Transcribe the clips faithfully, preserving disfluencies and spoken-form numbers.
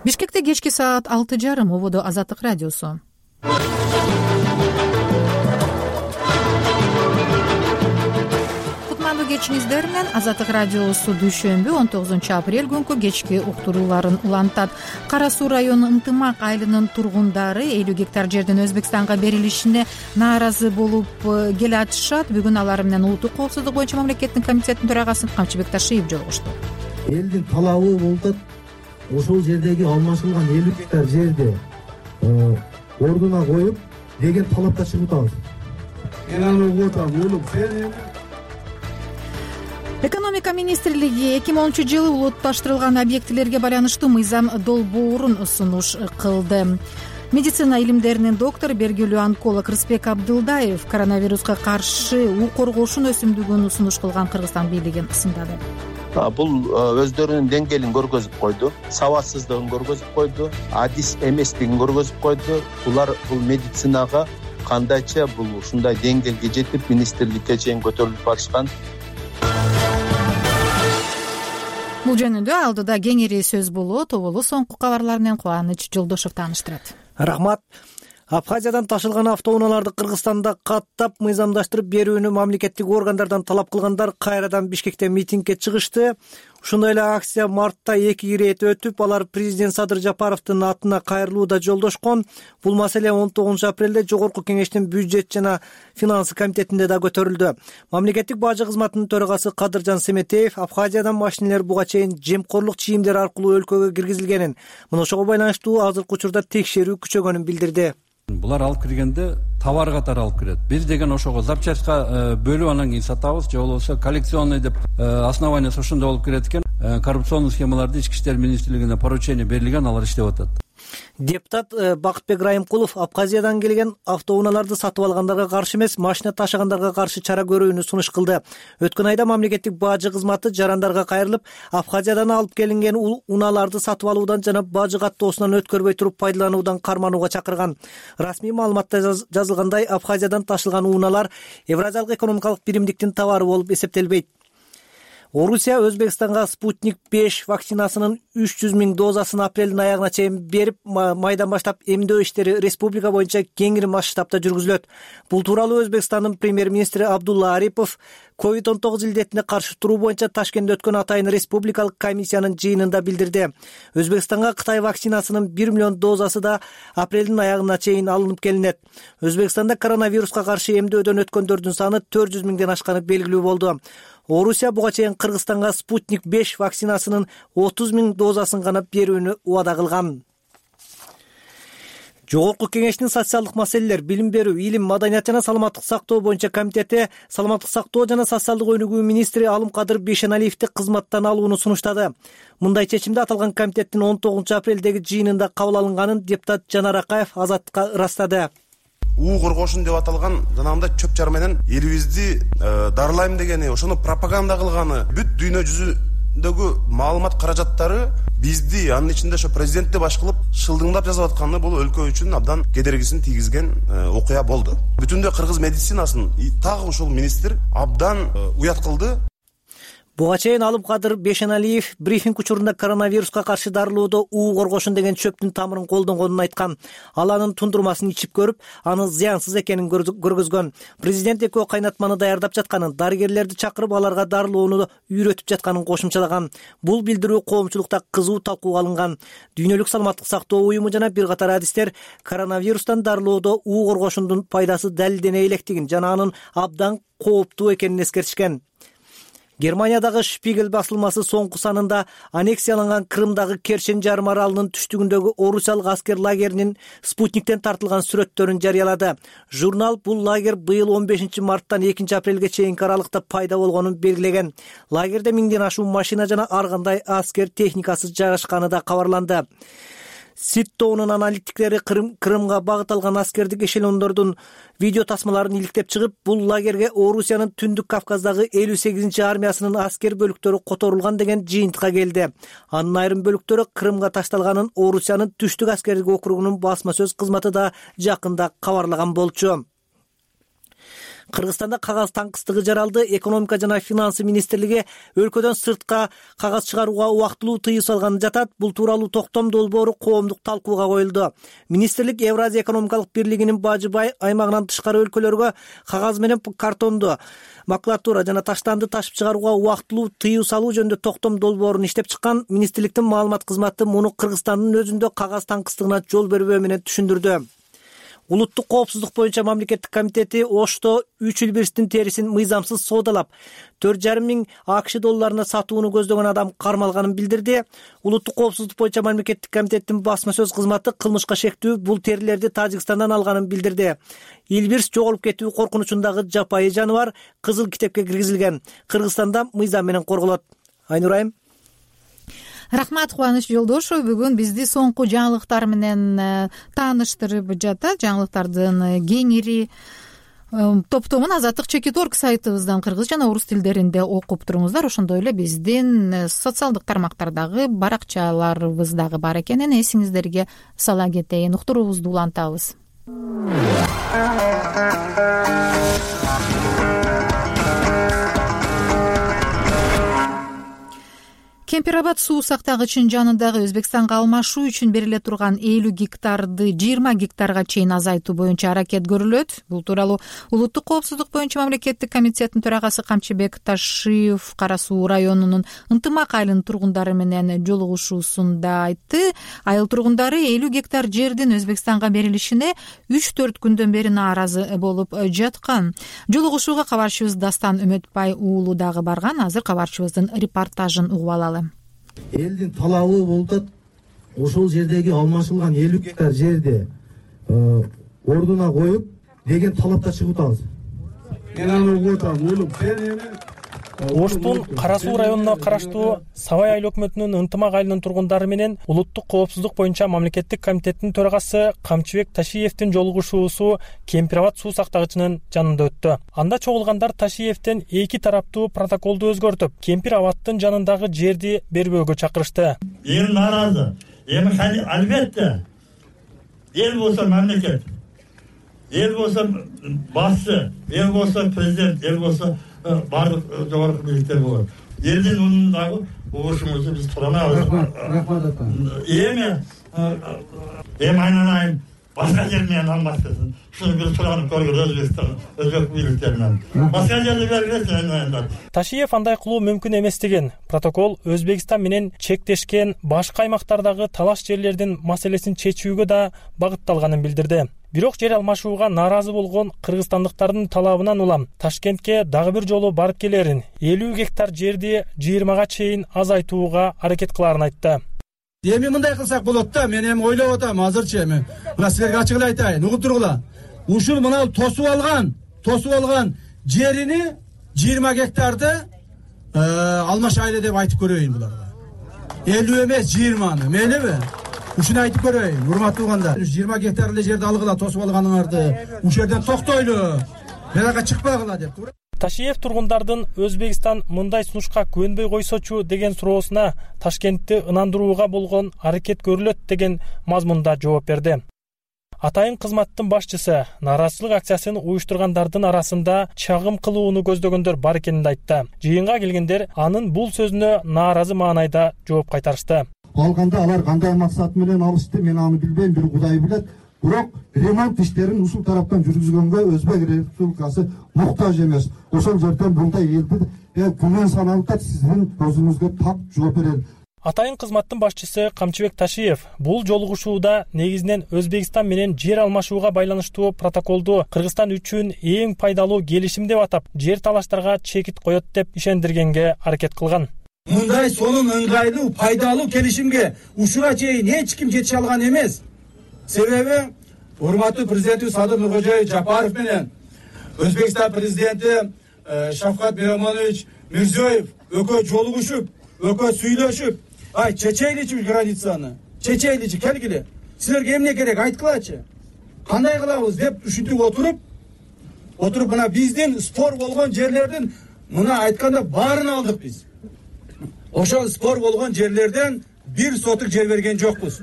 Бишкекте кечки саат алты жарым. Ободо Азаттык радиосу. Кутмандуу кечиңиздер менен Азаттык радиосу дүйшөмбү он тогузунчу апрель күнкү кечки уктурууларын улантат. Кара Суу району Ынтымак айылынын тургундары элүү гектар жердин Өзбекстанга берилишине нааразы болуп келе атышат. Бүгүн алар менен улуттук коопсуздук боюнча мамлекеттин комитетинин төрагасы Камчыбек Ташиев жолугушту. Элдин талабы болуп атат. Ошол жердеги алмашылган элүү гектар жерди ордуна коюп деген талапта чыгып атабыз. Мен аны угуп атам, улуп сен. Экономика министрлиги эки миң онунчу жылы улутташтырылган объектилерге байланыштуу мыйзам долбоорун сунуш кылды. Медицина илимдеринин доктору, белгилүү онколог Рыспек Абдылдаев коронавируска каршы уу коргоошун өсүмдүгүн сунуш кылган Кыргызстан бийлигин сындады. Бул өздөрүнүн деңгээлин көргөзүп койду, сабатсыздыгын көргөзүп койду, адис эместигин көргөзүп койду. Булар бул медицинага кандайча бул ушундай деңгээлге жетип министрликке чейин көтөрүлүп барышкан. Бул жөнүндө алдыда кеңири сөз болот. Оболу соңку кабарлар менен Кубаныч Жолдошов тааныштырат. Рахмат. Абхазиядан ташылган автоунааларды Кыргызстанда каттап мыйзамдаштырып берүүнү мамлекеттик органдардан талап кылгандар кайрадан Бишкекте митингге чыгышты. Ушундай эле акция мартта эки ирет өтүп, алар президент Садыр Жапаровдун атына кайрылууда жолдошкон. Бул маселе он тогузунчу апрелде Жогорку Кеңештин бюджет жана финансы комитетинде да көтөрүлдү. Мамлекеттик бажы кызматынын төрагасы Кадыржан Семетеев Абхазиядан машинелер буга чейин жемкорлук чийимдер аркылуу өлкөгө киргизилгенин, мына ошого байланыштуу азыркы учурда текшерүү күчөгөнүн билдирди. Булар алып киргенде товар катары алып кирет. Биз деген ошого запчастька бөлүп анан кийин сатабыз, же болбосо коллекционный деп основаниясы ошондой болуп кирет экен. Коррупционный схемаларды ички иштер министрлигине поручение берилген, алар иштеп атат. Депутат Бакытбек Райымкулов Абхазиядан келген автоунааларды сатып алгандарга каршы эмес, машина ташыгандарга каршы чара көрүүнү сунуш кылды. Өткөн айда мамлекеттик бажы кызматы жарандарга кайрылып, Абхазиядан алып келинген унааларды сатып алуудан жана бажы каттоосунан өткөрбөй туруп пайдалануудан карманууга чакырган. Расмий маалыматта жазылгандай, Абхазиядан ташылган унаалар Евразиялык экономикалык биримдиктин товары болуп эсептелбейт. Орусия Өзбекстанга Спутник беш вакцинасынын үч жүз миң дозасын апрелдин аягына чейин берип, майдан баштап эмдөө иштери республика боюнча кеңири масштабта жүргүзүлөт. Бул тууралуу Өзбекстандын премьер-министри Абдулла Арипов ковид он тогуз илдетине каршы туруу боюнча Ташкентте өткөн атайын республикалык комиссиянын жыйынында билдирди. Өзбекстанга Кытай вакцинасынын бир миллион дозасы да апрелдин аягына чейин алынып келинет. Өзбекстанда коронавируска каршы эмдөөдөн өткөндөрдүн саны төрт жүз миңден ашканы белгилүү болду. Орусия буга чейин Кыргызстанга Спутник беш вакцинасынын отуз миң дозасын гана берүүнү убада кылган. Жогорку Кеңештин социалдык маселелер, билим берүү, илим, маданият жана саламаттык сактоо боюнча комитети саламаттык сактоо жана социалдык өнүгүү министри Алымкадыр Бейшеналиевди кызматтан алууну сунуштады. Мындай чечимди аталган комитеттин он тогузунчу апрелдеги жыйынында кабыл алынганын депутат Жанар Акаев Азаттыкка ырастады. уу коргоошун деп аталган жанагындай чөп чар менен элибизди дарылайм дегени, ошону пропаганда кылганы, бүт дүйнө жүзүндөгү маалымат каражаттары бизди, анын ичинде ошо президентти баш кылып шылдыңдап жазып атканы бул өлкө үчүн абдан кедергисин тийгизген окуя болду. Бүтүндөй кыргыз медицинасын так ушул министр абдан уят кылды. Буга чейин Алымкадыр Бейшеналиев брифинг учурунда коронавируска каршы дарылоодо уу коргошун деген чөптүн тамырын колдонгонун айткан. Ал анын тундурмасын ичип көрүп, аны зыянсыз экенин көргөзгөн. Президент экөө кайнатманы даярдап жатканын, дарыгерлерди чакырып аларга дарылоону үйрөтүп жатканын кошумчалаган. Бул билдирүү коомчулукта кызуу талкууга алынган. Дүйнөлүк саламаттык сактоо уюму жана бир катар адистер коронавирустан дарылоодо уу коргошундун пайдасы далилдене электигин жана анын абдан кооптуу экенин эскертишкен. Германиядагы Шпигель басылмасы соңку санында аннексияланган Крымдагы Керчен жарым аралынын түштүгүндөгү орусиялык аскер лагеринин Спутниктен тартылган сүрөттөрүн жарыялады. Журнал бул лагерь быйыл он бешинчи марттан экинчи апрелге чейинки аралыкта пайда болгонун белгилеген. Лагерде миңден ашуун машина жана ар кандай аскер техникасы жайгашканы да кабарланды. Ситтоонун аналитиктери Крым, Крымга багыт алган аскердик эшелондордун видео тасмаларын иликтеп чыгып, бул лагерге Орусиянын Түндүк Кавказдагы элүү сегизинчи армиясынын аскер бөлүктөрү которулган деген жыйынтыкка келди. Анын айрым бөлүктөрү Крымга ташталганын Орусиянын Түштүк аскердик округунун басма сөз кызматы да жакында кабарлаган болчу. Кыргызстанда кагаз таңкыстыгы жаралды. Экономика жана финансы министрлиги өлкөдөн сыртка кагаз чыгарууга убактылуу тыюу салганы жатат. Бул тууралуу токтом долбоору коомдук талкууга коюлду. Министрлик Евразия экономикалык бирлигинин бажы бай аймагынан тышкары өлкөлөргө кагаз менен картонду, макулатура жана таштанды ташып чыгарууга убактылуу тыюу салуу жөнүндө токтом долбоорун иштеп чыккан. Министрликтин маалымат кызматы муну Кыргызстандын өзүндө кагаз таңкыстыгына жол бербөө менен түшүндүрдү. Улуттук коопсуздук боюнча мамлекеттик комитети Ошто үч Элбирстин терисин мыйзамсыз соодалап төрт жарым миң АКШ долларына сатууну көздөгөн адам кармалганын билдирди. Улуттук коопсуздук боюнча мамлекеттик комитеттин басма сөз кызматы кылмышка шектүү бул терилерди Тажикстандан алганын билдирди. Элбирс жоголуп кетүү коркунучундагы жапайы жаныбар кызыл китепке киргизилген. Кыргызстанда мыйзам менен корголот. Айнурайым. Рахмат, Кубаныч Жолдошов бүгүн бизди соңку жаңылыктар менен тааныштырып жатат. Жаңылыктардын кеңири топтомун Азаттык чекит точка орг сайтыбыздан кыргыз жана орус тилдеринде окуп туруңуздар. Ошондой эле биздин социалдык тармактардагы баракчаларыбыз дагы бар экенин эсиңиздерге сала кетейин. Уктуруубузду улантабыз. Кемпирабад суу сактагычынын жанындагы Өзбекстанга алмашуу үчүн бериле турган элүү гектарды жыйырма гектарга чейин азайтуу боюнча аракет көрүлөт. Бул тууралуу Улуттук коопсуздук боюнча мамлекеттик комитеттин төрагасы Камчыбек Ташиев Кара Суу районунун Ынтымак айылынын тургундары менен жолугушуусунда айтты. Айыл тургундары элүү гектар жердин Өзбекстанга берилишине үч төрт күндөн бери нааразы болуп жаткан. Жолугушууга кабарчыбыз Дастан Үмөтбай уулу дагы барган. Азыр кабарчыбыздын репортажын угуп алалы. Элдин талабы болуп атат. Ошол жердеги алмашылган элүү гектар жерди ордуна коюп деген талапта чыгып атабыз. Мен аны угуп атам. Уулум, сен Оштун Кара Суу районуна караштуу Сабай айыл өкмөтүнүн Ынтымак айылынын тургундары менен Улуттук коопсуздук боюнча мамлекеттик комитеттин төрагасы Камчыбек Ташиевдин жолугушуусу Кемпирабад суу сактагычынын жанында өттү. Анда чогулгандар Ташиевден эки тараптуу протоколду өзгөртүп, Кемпирабаддын жанындагы жерди бербөөгө чакырышты. Эл нааразы. Эми албетте эл болсо мамлекет, эл болсо башчы, эл болсо президент, эл болсо бардык жогорку бийликтер болот. Элдин мундагы угушубузду биз турамабыз. Эми эми айнанайын башка жер менен алмаштырсын. Шуну биз туранып көргөн Өзбекстан, өзбек бийликтери менен. Башка жерди бербесин. Ташиев андай кылуу мүмкүн эместигин, протокол Өзбекстан менен чектешкен башка аймактардагы талаш жерлердин маселесин чечүүгө да багытталганын билдирди. Бирок жер алмашууга нааразы болгон кыргызстандыктардын талабынан улам Ташкентке дагы бир жолу барып келерин, элүү гектар жерди жыйырмага чейин азайтууга аракет кыларын айтты. Эми мындай кылсак болот да, мен эми ойлоп атам азырчы эми. Мына силерге ачык эле айтайын, угуп тургула. Ушул мына тосуп алган, тосуп алган жерини жыйырма гектарды алмаш айла деп айтып көрөйүн буларга. элүү эмес жыйырманы, мейлиби? Ушуну айтып көрөйүн, урматтуу угандар. жыйырма гектар эле жерди алгыла, тосуп алганыңарды. Ушул жерден токтойлу. Берага чыкпагыла деп. Ташиев тургундардын Өзбекстан мындай сунушка көнбөй койсочу деген суроосуна Ташкентти ынандырууга болгон аракет көрүлөт деген мазмунда жооп берди. Атайын кызматтын башчысы нааразычылык акциясын уюштургандардын арасында чагым кылууну көздөгөндөр бар экенин айтты. Жыйынга келгендер анын бул сөзүнө нааразы маанайда жооп кайтарышты. Калганда алар кандай максат менен алышты, мен аны билбейм, бир Кудай билет. Бирок ремонт иштерин ушул тараптан жүргүзгөнгө Өзбек Республикасы муктаж эмес. Ошол жерден мындай элди күнөн саналып да сиздин өзүңүзгө так жооп берет. Атайын кызматтын башчысы Камчыбек Ташиев бул жолугушууда негизинен Өзбекстан менен жер алмашууга байланыштуу протоколду Кыргызстан үчүн эң пайдалуу келишим деп атап, жер талаштарга чекит коет деп ишендиргенге аракет кылган. Мындай сонун ыңгайлуу, пайдалуу келишимге ушуга чейин эч ким жете алган эмес. Себеби урматтуу президентибиз Садыр Нуркожоевич Жапаров менен Өзбекстан президенти Шавкат Миромонович Мирзиёев экөө жолугушуп, экөө сүйлөшүп, ай чечейличи границаны, чечейличи келгиле. Силерге эмне керек айткылачы? Кандай кылабыз деп ушинтип отуруп, отуруп мына биздин спор болгон жерлердин мына айтканда баарын алдык биз. Ошол спор болгон жерлерден бир сотук жер берген жокпуз.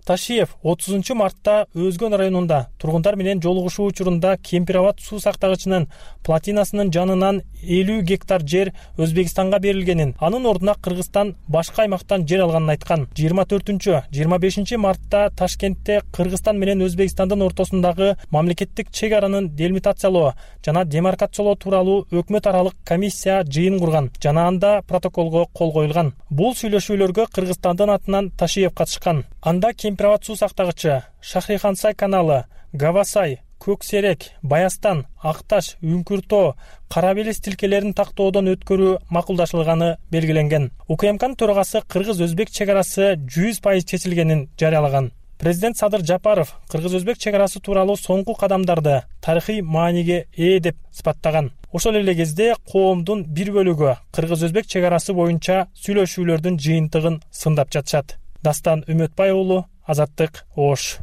Ташиев отузунчу мартта Өзгөн районунда тургундар менен жолугушуу учурунда Кемпир Абад суу сактагычынын плотинасынын жанынан элүү гектар жер Өзбекстанга берилгенин, анын ордуна Кыргызстан башка аймактан жер алганын айткан. жыйырма төртүнчү жыйырма бешинчи мартта Ташкентте Кыргызстан менен Өзбекстандын ортосундагы мамлекеттик чек аранын делимитациялоо жана демаркациялоо тууралуу өкмөт аралык комиссия жыйын курган жана анда протоколго кол коюлган. Бул сүйлөшүүлөргө Кыргызстандын атынан Ташиев катышкан. Анда Кемпир Абад суу сактагычы, Шахрихансай каналы, Гавасай, Көксерек, Баястан, Акташ, Үңкүртөө, Кара Белес тилкелерин тактоодон өткөрүү макулдашылганы белгиленген. УКМКнын төрагасы кыргыз-өзбек чек арасы жүз пайыз чечилгенин жарыялаган. Президент Садыр Жапаров кыргыз-өзбек чек арасы тууралуу соңку кадамдарды тарыхый мааниге ээ деп сыпаттаган. Ошол эле кезде коомдун бир бөлүгү кыргыз-өзбек чек арасы боюнча сүйлөшүүлөрдүн жыйынтыгын сындап жатышат. Дастан Үмөтбай уулу, Азаттык, Ош.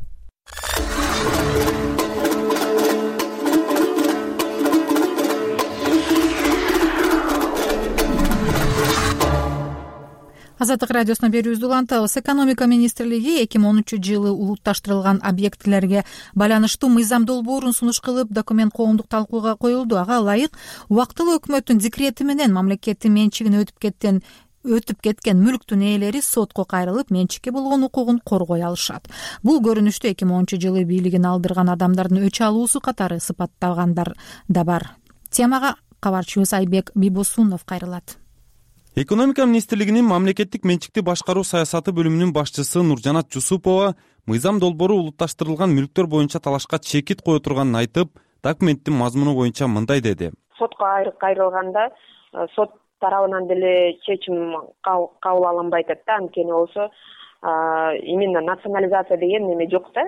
Азаттык радиосуна берүүбүздү улантабыз. Экономика министрлиги эки миң онунчу жылы улутташтырылган объектилерге байланыштуу мыйзам долбоорун сунуш кылып, документ коомдук талкууга коюлду. Ага ылайык убактылуу өкмөттүн декрети менен мамлекеттин менчигине өтүп кеткен өтүп кеткен мүлктүн ээлери сотко кайрылып, менчикке болгон укугун коргой алышат. Бул көрүнүштү эки миң онунчу жылы бийлигин алдырган адамдардын өч алуусу катары сыпаттагандар да бар. Темага кабарчыбыз Айбек Бибосунов кайрылат. Экономика министрлигинин мамлекеттик менчикти башкаруу саясаты бөлүмүнүн башчысы Нуржанат Жусупова мыйзам долбоору улутташтырылган мүлктөр боюнча талашка чекит кое турганын айтып, документтин мазмуну боюнча мындай деди. Сотко кайрылганда сот тарабынан деле чечим кабыл алынбай атат да, анткени болсо именно национализация деген неме жок да,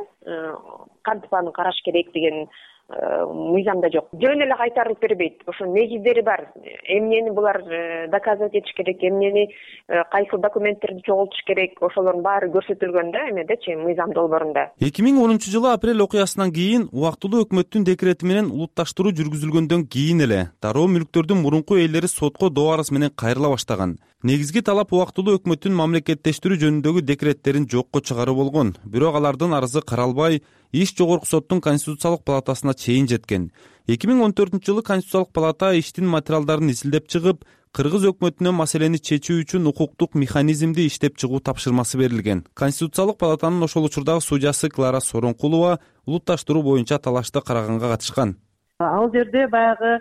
кантип аны караш керек деген мыйзамда жок. Жөн эле кайтарылып бербейт. Ошо негиздери бар. Эмнени булар доказывать этиш керек, эмнени кайсы документтерди чогултуш керек, ошолордун баары көрсөтүлгөн да эмедечи, мыйзам долбоорунда. эки миң онунчу жылы апрель окуясынан кийин убактылуу өкмөттүн декрети менен улутташтыруу жүргүзүлгөндөн кийин эле дароо мүлктөрдүн мурунку ээлери сотко доо арыз менен кайрыла баштаган. Негизги талап убактылуу өкмөттүн мамлекеттештирүү жөнүндөгү декреттерин жокко чыгаруу болгон. Бирок алардын арызы каралбай, иш жогорку соттун Конституциялык палатасына чейин жеткен. эки миң он төртүнчү жылы Конституциялык палата иштин материалдарын изилдеп чыгып, кыргыз өкмөтүнө маселени чечүү үчүн укуктук механизмди иштеп чыгуу тапшырмасы берилген. Конституциялык палатанын ошол учурдагы судьясы Клара Соронкулова улутташтыруу боюнча талашты караганга катышкан. Ал жерде баягы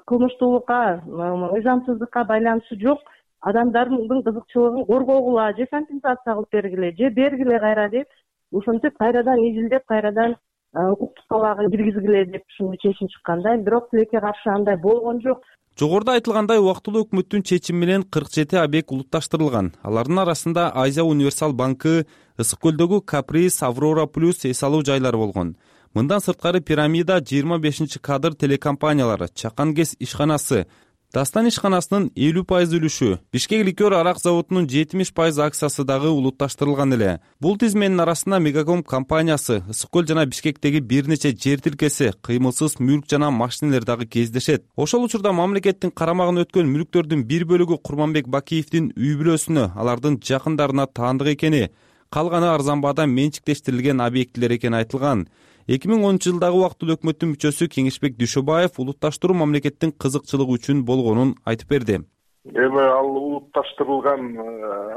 кылмыштуулукка, мыйзамсыздыкка байланышы жок, адамдардын кызыкчылыгын коргогула же компенсация кылып бергиле же бергиле кайра деп ушинтип кайрадан изилдеп кайрадан укуктук талаага киргизгиле деп ушундай чечим чыкканда, бирок тилекке каршы андай болгон жок. Жогоруда айтылгандай убактылуу өкмөттүн чечими менен кырк жети объект улутташтырылган. Алардын арасында Азия Универсал банкы, Ысык көлдөгү Каприз, Аврора плюс эс алуу жайлары болгон. Мындан сырткары Пирамида, жыйырма бешинчи кадр телекомпаниялары, Чакан ГЭС ишканасы, Дастан ишканасынын элүү пайыз үлүшү, Бишкек ликер арак заводунун жетимиш пайыз акциясы дагы улутташтырылган эле. Бул тизменин арасында Мегаком компаниясы, Ысык көл жана Бишкектеги бир нече жер тилкеси, кыймылсыз мүлк жана машинелер дагы кездешет. Ошол учурда мамлекеттин карамагына өткөн мүлктөрдүн бир бөлүгү Курманбек Бакиевдин үй бүлөсүнө, алардын жакындарына таандык экени, калганы арзан баада менчиктештирилген объектилер экени айтылган. эки миң онунчу жылдагы убактылуу өкмөттүн мүчөсү Кеңешбек Дүйшөбаев улутташтыруу мамлекеттин кызыкчылыгы үчүн болгонун айтып берди. Эми ал улутташтырылган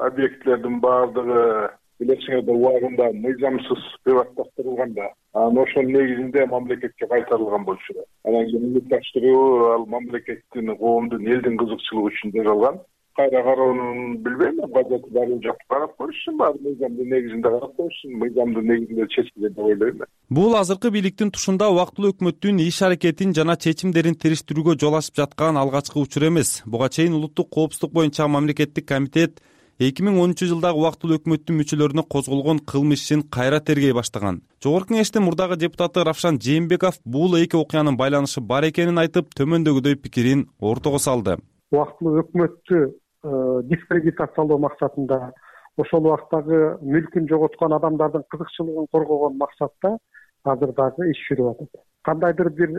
объектилердин баардыгы билесиңердер убагында мыйзамсыз приватташтырылган да. Анан ошонун негизинде мамлекетке кайтарылган болчу. Анан кийин улутташтыруу ал мамлекеттин, коомдун, элдин кызыкчылыгы үчүн жасалган. Кайра кароонун билбейм, базаты баары жакып карап көрүшсүн, баары мыйзамдын негизинде карап көрүшсүн, мыйзамдын негизинде чечилген деп ойлойм. Бул азыркы бийликтин тушунда убактылуу өкмөттүн иш аракетин жана чечимдерин териштирүүгө жол ачып жаткан алгачкы учур эмес. Буга чейин улуттук коопсуздук боюнча мамлекеттик комитет эки миң онунчу жылдагы убактылуу өкмөттүн мүчөлөрүнө козголгон кылмыш ишин кайра тергей баштаган. Жогорку кеңештин мурдагы депутаты Равшан Жээнбеков бул эки окуянын байланышы бар экенин айтып, төмөндөгүдөй пикирин ортого салды. Убактылуу өкмөттү дискредитациялоо максатында, ошол убактагы мүлкүн жоготкон адамдардын кызыкчылыгын коргогон максатта азыр дагы иш жүрүп атат. Кандайдыр бир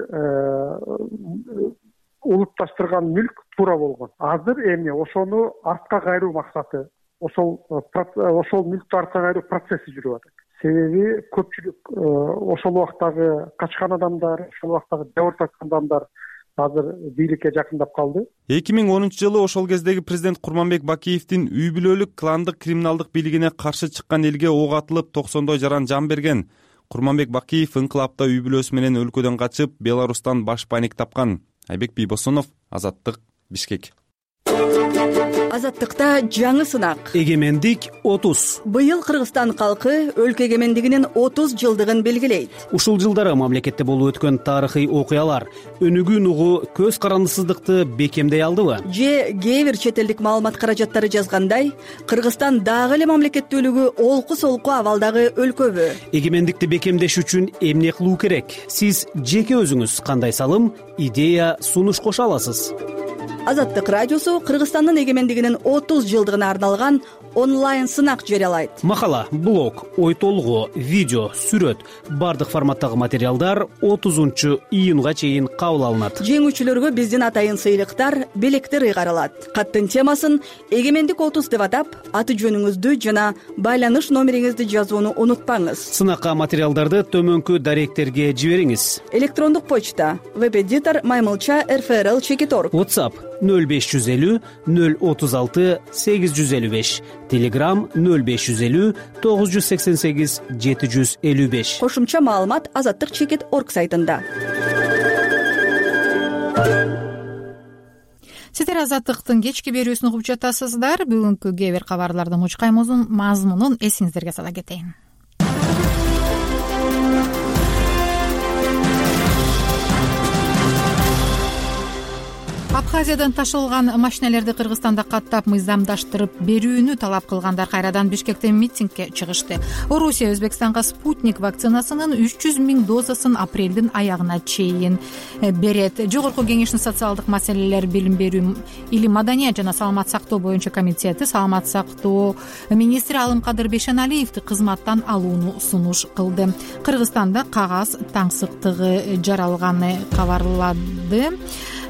улутташтырган мүлк туура болгон. Азыр эми ошону артка кайруу максаты ошол ошол мүлктү артка кайруу процесси жүрүп атат. Себеби көпчүлүк ошол убактагы качкан адамдар, ошол убактагы жабыр тарткан адамдар азыр бийликке жакындап калды. эки миң онунчу жылы ошол кездеги президент Курманбек Бакиевдин үй бүлөлүк кландык криминалдык бийлигине каршы чыккан элге ок атылып токсондой жаран жан берген. Курманбек Бакиев инкылапта үй бүлөсү менен өлкөдөн качып, Беларустан баш паник тапкан. Айбек Бийбосунов, Азаттык, Бишкек. Азаттыкта жаңы сынак. Эгемендик отуз. Быйыл Кыргызстан калкы өлкө эгемендигинин отуз жылдыгын белгилейт. Ушул жылдары мамлекетте болуп өткөн тарыхый окуялар өнүгүүн угу көз карандысыздыкты бекемдей алдыбы? Же кээ бир чет элдик маалымат каражаттары жазгандай, Кыргызстан дагы эле мамлекеттүүлүгү олку-солку абалдагы өлкөбү? Эгемендикти бекемдеш үчүн эмне кылуу керек? Сиз жеке өзүңүз кандай салым, идея, сунуш кошо аласыз? Азаттык радиосу Кыргызстандын эгемендигинин отуз жылдыгына арналган онлайн сынак жарыялайт. Макала, блог, ой толгоо, видео, сүрөт, бардык форматтагы материалдар отузунчу июнга чейин кабыл алынат. Жеңүүчүлөргө биздин атайын сыйлыктар, белектер ыйгарылат. Каттын темасын Эгемендик отуз деп атап, аты жөнүңүздү жана байланыш номериңизди жазууну унутпаңыз. Сынакка материалдарды төмөнкү даректерге жибериңиз. Электрондук почта веб-эдитор маймылча эр эф эр эл чекит точка орг. WhatsApp нөл беш жүз элүү нөл отуз алты сегиз жүз элүү беш. Telegram нөл беш жүз элүү тогуз жүз сексен сегиз жети жүз элүү беш. Кошумча маалымат азаттык чекит точка орг сайтында. Сиздер Азаттыктын кечки берүүсүн угуп жатасыздар. Бүгүнкү кээ бир кабарлардын мужкаймузун мазмунун эсиңиздерге сала кетейин. Абхазиядан ташылган машиналерди Кыргызстанда каттап мыйзамдаштырып берүүнү талап кылгандар кайрадан Бишкекте митингге чыгышты. Орусия Өзбекстанга спутник вакцинасынын үч жүз миң дозасын апрелдин аягына чейин берет. Жогорку кеңештин социалдык маселелер, билим берүү, илим, маданият жана саламат сактоо боюнча комитети саламат сактоо министри Алымкадыр Бешеналиевди кызматтан алууну сунуш кылды. Кыргызстанда кагаз таңсыктыгы жаралганы кабарлады.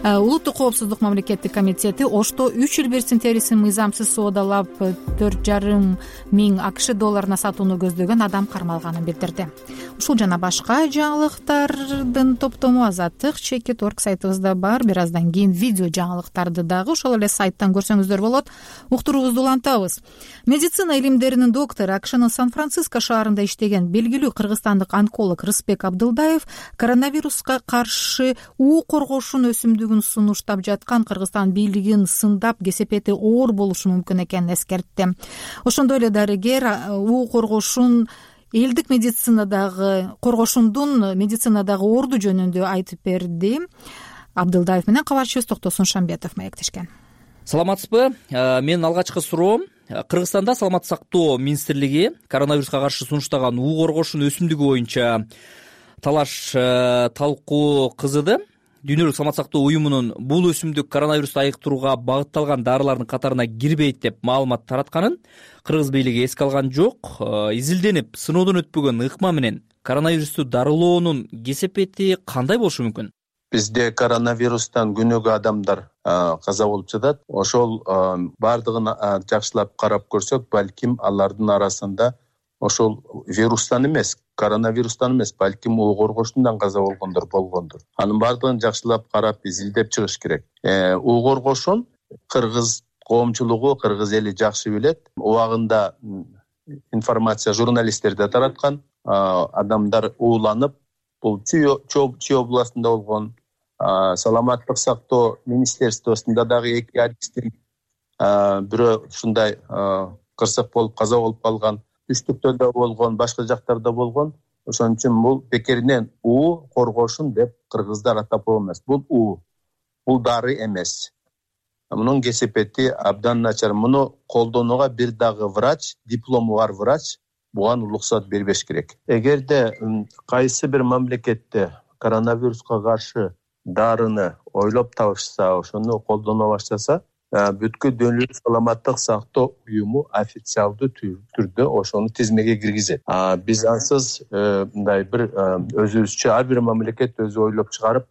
Улуттук коопсуздук мамлекеттик комитети Ошто үч эл берсин терисин мыйзамсыз соодалап төрт жарым миң АКШ долларына сатууну көздөгөн адам кармалганын билдирди. Ушул жана башка жаңылыктардын топтому Азаттык чекит точка орг сайтыбызда бар. Бир аздан кийин видео жаңылыктарды дагы ошол эле сайттан көрсөңүздөр болот. Уктуруубузду улантабыз. Медицина илимдеринин доктору, АКШнын Сан-Франциско шаарында иштеген белгилүү кыргызстандык онколог Рысбек Абдылдаев коронавируска каршы уу коргошун өсүмдүгүн сунуштап жаткан Кыргызстан бийлигин сындап, кесепети оор болушу мүмкүн экенин эскертти. Ошондой эле дарыгер уу коргошун элдик медицинадагы коргошундун медицинадагы орду жөнүндө айтып берди. Абдылдаев менен кабарчыбыз Токтосун Шамбетов маектешкен. Саламатсызбы? Менин алгачкы суроом: Кыргызстанда саламат сактоо министрлиги коронавируска каршы сунуштаган уу коргошун өсүмдүгү боюнча талаш талкуу кызыды. Дүйнөлүк саламат сактоо уюмунун бул өсүмдүк коронавирусту айыктырууга багытталган дарылардын катарына кирбейт деп маалымат таратканын кыргыз бийлиги эске алган жок. Изилденип, сыноодон өтпөгөн ыкма менен коронавирусту дарылоонун кесепети кандай болушу мүмкүн? Бизде коронавирустан күнөөгө адамдар каза болуп жатат. Ошол бардыгын жакшылап карап көрсөк, балким алардын арасында ошол вирустан эмес, коронавирустан эмес, балким уу коргошундан каза болгондор болгондур. Анын бардыгын жакшылап карап, изилдеп чыгыш керек. уу коргошун кыргыз коомчулугу, кыргыз эли жакшы билет. Убагында информация журналисттер да тараткан. Адамдар ууланып, бул Чүй областында болгон, саламаттык сактоо министерствосунда дагы эки адистин бирөө ушундай кырсык болуп каза болуп калган. Үстүктө да болгон, башка жактарда болгон. Ошон үчүн бул бекеринен уу коргошун деп кыргыздар атап эмес. Бул уу, бул дары эмес. Мунун кесепети абдан начар. Муну колдонууга бир дагы врач, диплому бар врач буга уруксат бербеш керек. Эгерде кайсы бир мамлекетте коронавируска каршы дарыны ойлоп табышса, ошону колдоно баштаса, бүткүл дүйнөлүк саламаттык сактоо уюму официалдуу түрдө ошону тизмеге киргизет. Биз ансыз мындай бир өзүбүзчө ар бир мамлекет өзү ойлоп чыгарып,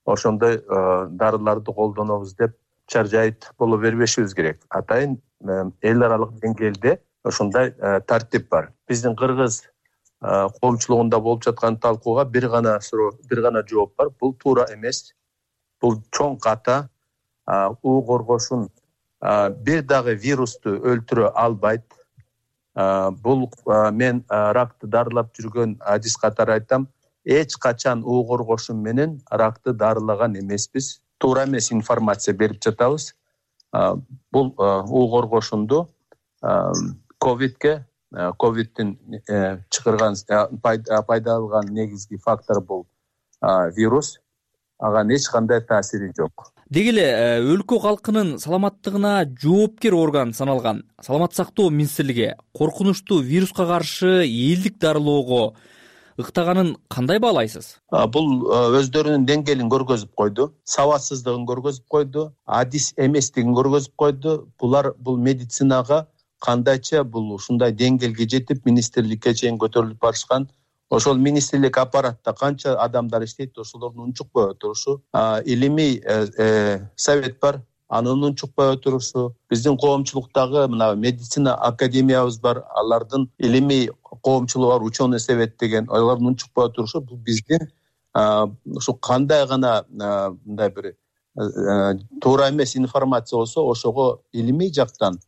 ошондой дарыларды колдонобуз деп чаржайыт боло бербешибиз керек. Атайын эл аралык деңгээлде ошондой тартип бар. Биздин кыргыз коомчулугунда болуп жаткан талкууга бир гана суроо, бир гана жооп бар. Бул туура эмес. Бул чоң ката. У коргошун бир дагы вирусту өлтүрө албайт. Бул мен ракты дарылап жүргөн адис катары айтам. Эч качан у коргошун менен ракты дарылаган эмеспиз. Туура эмес информация берип жатабыз. Бул у коргошунду ковидке, ковидтин чыгарган пайда алган негизги фактор бул вирус. Ага эч кандай таасири жок. Деги эле өлкө калкынын саламаттыгына жоопкер орган саналган Саламаттык сактоо министрлиги коркунучтуу вируска каршы элдик дарылоого ыктаганын кандай баалайсыз? Бул өздөрүнүн деңгээлин көргөзүп койду, сабатсыздыгын көргөзүп койду, адис эместигин көргөзүп койду. Булар бул медицинага кандайча бул ушундай деңгээлге жетип министрликке чейин көтөрүлүп барышкан. Ошол министрлик аппаратта канча адамдар иштейт, ошолордун унчукпай отурушу, илимий совет бар, анын унчукпай отурушу, биздин коомчулуктагы мына медицина академиябыз бар, алардын илимий коомчулугу бар, ученый совет деген, алардын унчукпай отурушу бул биздин ушу кандай гана мындай бир туура эмес информация болсо, ошого илимий жактан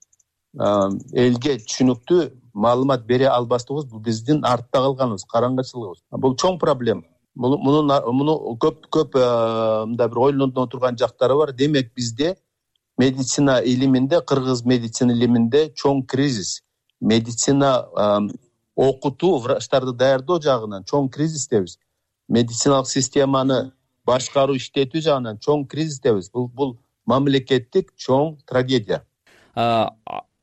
элге түшүнүктүү маалымат бере албастыгыбыз бул биздин артта калганыбыз, караңгычылыгыбыз. Бул чоң проблема. Муну муну көп көп мындай бир ойлоно турган жактары бар. Демек бизде медицина илиминде, кыргыз медицина илиминде чоң кризис. Медицина окутуу, врачтарды даярдоо жагынан чоң кризистебиз. Медициналык системаны башкаруу, иштетүү жагынан чоң кризистебиз. Бул бул мамлекеттик чоң трагедия.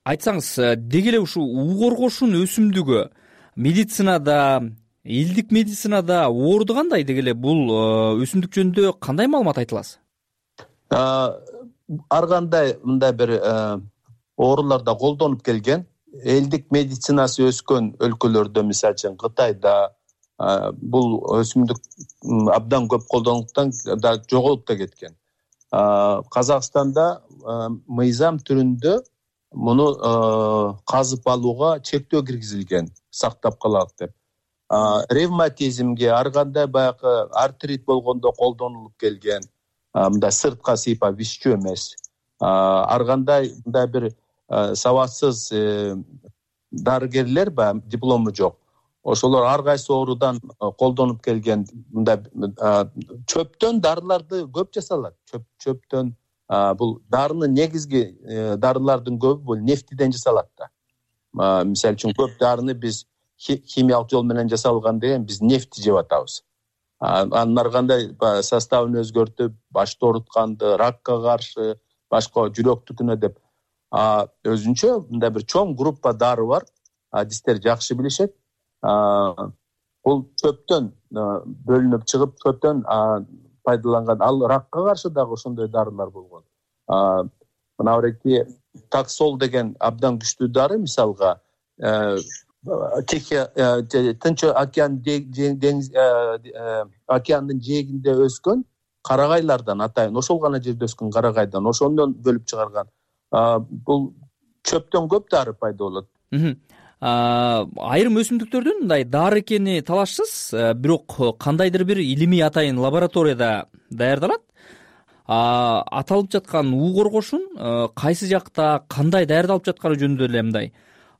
Айтсаңыз, деги эле ушу у коргошун өсүмдүгү медицинада, элдик медицинада оорду кандай? Деги эле бул өсүмдүк жөнүндө кандай маалымат айта аласыз? Ар кандай мындай бир ооруларда колдонуп келген. Элдик медицинасы өскөн өлкөлөрдө, мисалы үчүн Кытайда бул өсүмдүк абдан көп колдонулуптан да жоголуп да кеткен. Казакстанда мыйзам түрүндө муну казып алууга чектөө киргизилген, сактап калат деп. Ревматизмге, ар кандай баягы артрит болгондо колдонулуп келген, мындай сыртка сыйпап вишчүү эмес. Ар кандай мындай бир сабатсыз дарыгерлер баягы диплому жок. Ошолор ар кайсы оорудан колдонуп келген мындай чөптөн дарыларды көп жасалат. Чөп чөптөн бул дарынын негизги дарылардын көбү бул нефтиден жасалат да. Мисалы үчүн көп дарыны биз химиялык жол менен жасалган деген биз нефти жеп атабыз. Анын ар кандай составын өзгөртүп, башты оорутканды, ракка каршы, башка жүрөктүкүнө деп өзүнчө мындай бир чоң группа дары бар. Адистер жакшы билишет. Бул чөптөн бөлүнүп чыгып, чөптөн пайдаланган. Ал ракка каршы дагы ошондой дарылар болгон. Мына ореки таксол деген абдан күчтүү дары, мисалга Тынч океан деңиз океандын жээгинде өскөн карагайлардан, атайын ошол гана жерде өскөн карагайдан, ошондон бөлүп чыгарган. Бул чөптөн көп дары пайда болот. Айрым өсүмдүктөрдүн мындай дары экени талашсыз, бирок кандайдыр бир илимий атайын лабораторияда даярдалат. Аталып жаткан у коргошун кайсы жакта кандай даярдалып жатканы жөнүндө эле мындай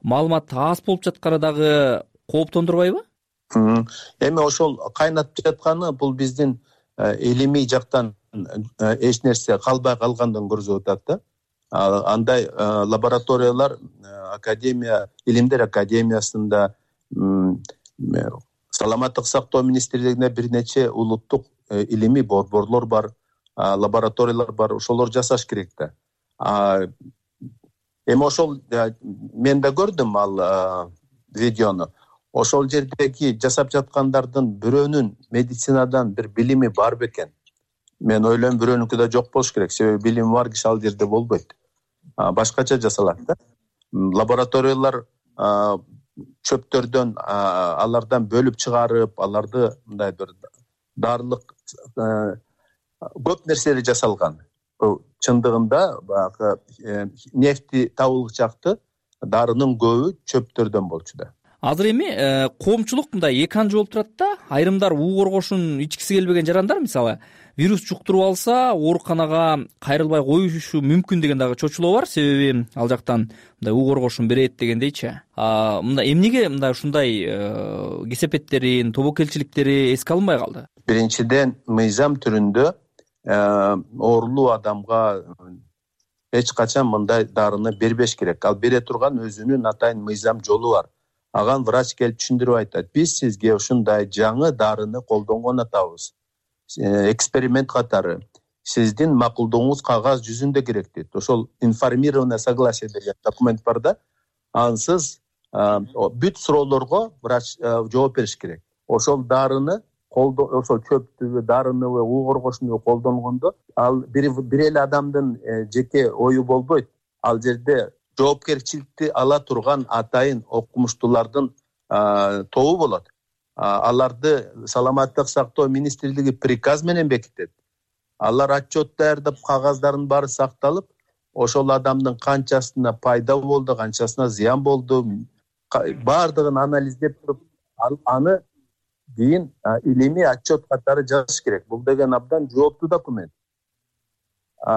маалымат аз болуп жатканы дагы кооптондурбайбы? Эми ошол кайнатып жатканы бул биздин илимий жактан эч нерсе калбай калгандан көрсөтүп атат да. Андай лабораториялар академия, илимдер академиясында, Саламаттык сактоо министрлигинде бир нече улуттук илимий борборлор бар, лабораториялар бар, ошолор жасаш керек да. Эми ошол мен да көрдүм ал видеону. Ошол жердеги жасап жаткандардын бирөөнүн медицинадан бир билими бар бекен. Мен ойлойм бирөөнүкү да жок болуш керек. Себеби билими бар киши ал жерде болбойт. Башкача жасалат да. Лабораториялар чөптөрдөн алардан бөлүп чыгарып, аларды мындай бир дарылык көп нерселер жасалган. чындыгында баягы нефти табылчакты дарынын көбү чөптөрдөн болчу да. Азыр эми коомчулук мындай эки анжы болуп турат да. Айрымдар уу коргошун ичкиси келбеген жарандар мисалы вирус жуктуруп алса ооруканага кайрылбай коюшу мүмкүн деген дагы чочулоо бар. Себеби ал жактан мындай уу коргошун берет дегендейчи. Мындай эмнеге мындай ушундай кесепеттерин, тобокелчиликтери эске алынбай калды? Биринчиден, мыйзам түрүндө оорулуу адамга эч качан мындай дарыны бербеш керек. Ал бере турган өзүнүн атайын мыйзам жолу бар. Аган врач келип түшүндүрүп айтат. Биз сизге ушундай жаңы дарыны колдонгон атабыз. Эксперимент катары. Сиздин макулдугуңуз кагаз жүзүндө керек дейт. Ошол информированное согласие деген документ бар да. Ансыз бүт суроолорго врач жооп бериш керек. Ошол дарыны ошол чөптүбү, дарыныбы, уу коргошунбу колдонгондо ал бир эле адамдын жеке ою болбойт. Ал жерде жоопкерчиликти ала турган атайын окумуштуулардын тобу болот. Аларды саламаттык сактоо министрлиги приказ менен бекитет. Алар отчет даярдап, кагаздардын баары сакталып, ошол адамдын канчасына пайда болду, канчасына зыян болду, баардыгын анализдеп туруп, аны кийин илимий отчет катары жазыш керек. Бул деген абдан жооптуу документ.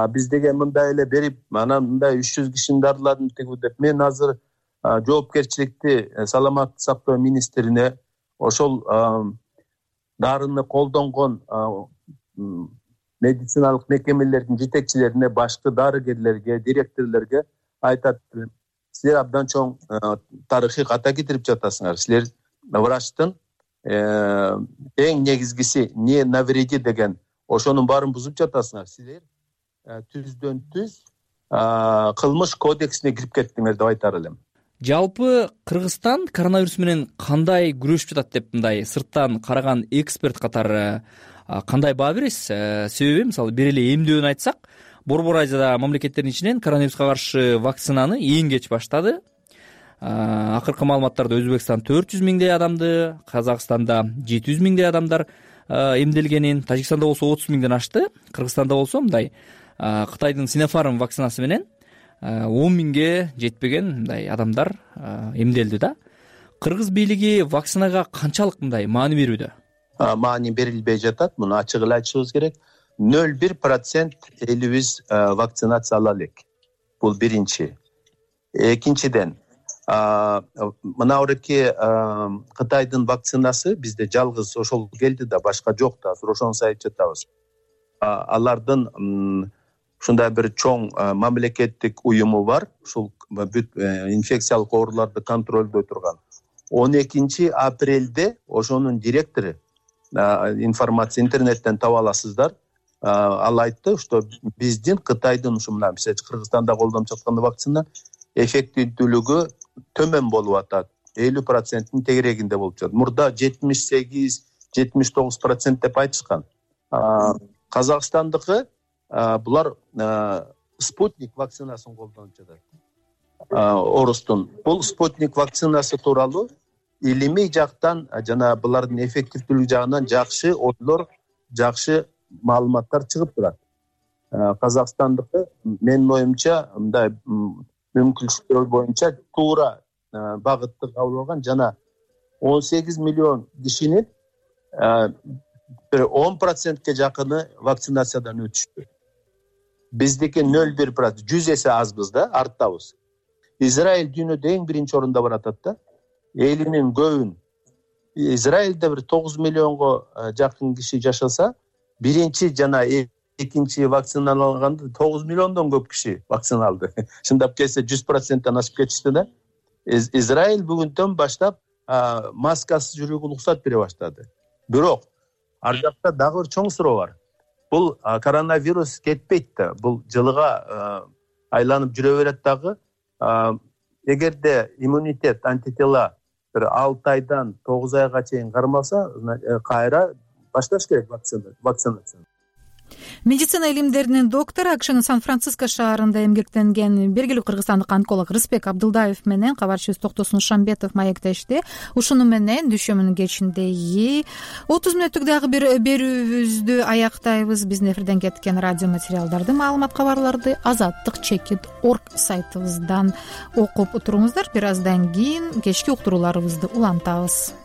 Биз деген мындай эле берип, анан мындай үч жүз кишини дарыладым деп, мен азыр жоопкерчиликти саламаттык сактоо министрине, ошол дарыны колдонгон медициналык мекемелердин жетекчилерине, башкы дарыгерлерге, директорлорго айтат: силер абдан чоң тарыхый ката кетирип жатасыңар. Силер врачтын эң негизгиси не навреди деген ошонун баарын бузуп жатасыңар. Силер түздөн түз кылмыш кодексине кирип кеттиңер деп айтар элем. Жалпы Кыргызстан коронавирус менен кандай күрөшүп жатат деп мындай сырттан караган эксперт катары кандай баа бересиз? Себеби мисалы бир эле эмдөөнү айтсак, Борбор Азияда мамлекеттердин ичинен коронавируска каршы вакцинаны эң кеч баштады. Акыркы маалыматтарда Өзбекстан төрт жүз миңдей адамды, Казакстанда жети жүз миңдей адамдар эмделгенин, Тажикстанда болсо отуз миңден ашты. Кыргызстанда болсо мындай Кытайдын Sinopharm вакцинасы менен он миңге жетпеген мындай адамдар эмделди да. Кыргыз бийлиги вакцинага канчалык мындай маани берүүдө? Маани берилбей жатат. Муну ачык эле айтышыбыз керек. ноль бир процент элибиз вакцинация ала элек. Бул биринчи. Экинчиден, мына ореки Кытайдын вакцинасы бизде жалгыз ошол келди да, башка жок да. Азыр ошону айтып жатабыз. Алардын ушундай бир чоң мамлекеттик уюму бар. Ушул бүт инфекциялык ооруларды контролдой турган. он экинчи апрелде ошонун директору, информация интернеттен таба аласыздар, ал айтты, что биздин Кытайдын ушу мына Кыргызстанда колдонуп жаткан вакцина эффективдүүлүгү төмөн болуп атат. элүү проценттин тегерегинде болуп жатат. Мурда жетимиш сегиз жетимиш тогуз процент деп айтышкан. Казакстандыкы булар спутник вакцинасын колдонуп жатат. Орустун. Бул спутник вакцинасы тууралуу илимий жактан жана булардын эффективдүүлүгү жагынан жакшы ойлор, жакшы маалыматтар чыгып турат. Казакстандыкы менин оюмча мындай мүмкүнчүлүктөр боюнча туура багытты кабыл алган жана он сегиз миллион кишинин бир он процентке жакыны вакцинациядан өтүштү. Биздики ноль бир процент, жүз эсе азбыз да, арттабыз. Израиль дүйнөдө эң биринчи орунда баратат да. Элинин көбүн. Израилде бир тогуз миллионго жакын киши жашаса, биринчи жана экинчи вакциналанганда тогуз миллиондон көп киши вакциналды. Шындап келсе жүз проценттен ашып кетишти да. Израиль бүгүндөн баштап маскасыз жүрүүгө уруксат бере баштады. Бирок ар жакта дагы чоң суроо бар. Бул коронавирус кетпейт да. Бул жылыга айланып жүрө берет дагы. Эгерде иммунитет, антитела бир алты айдан тогуз айга чейин кармаса, кайра башташ керек вакцинацияны. медицина илимдеринин доктору акшнын Сан-Франциско шаарында эмгектенген белгилүү кыргызстандык онколог Рысбек Абдылдаев менен кабарчыбыз Токтосун Шамбетов маектешти. Ушуну менен дүйшөмүнүн кечиндеги отуз мүнөттүк дагы бир берүүбүздү аяктайбыз. Биздин эфирден кеткен радио материалдарды, маалымат, кабарларды азаттык чекит орг сайтыбыздан окуп туруңуздар. Бир аздан кийин кечки уктурууларыбызды улантабыз.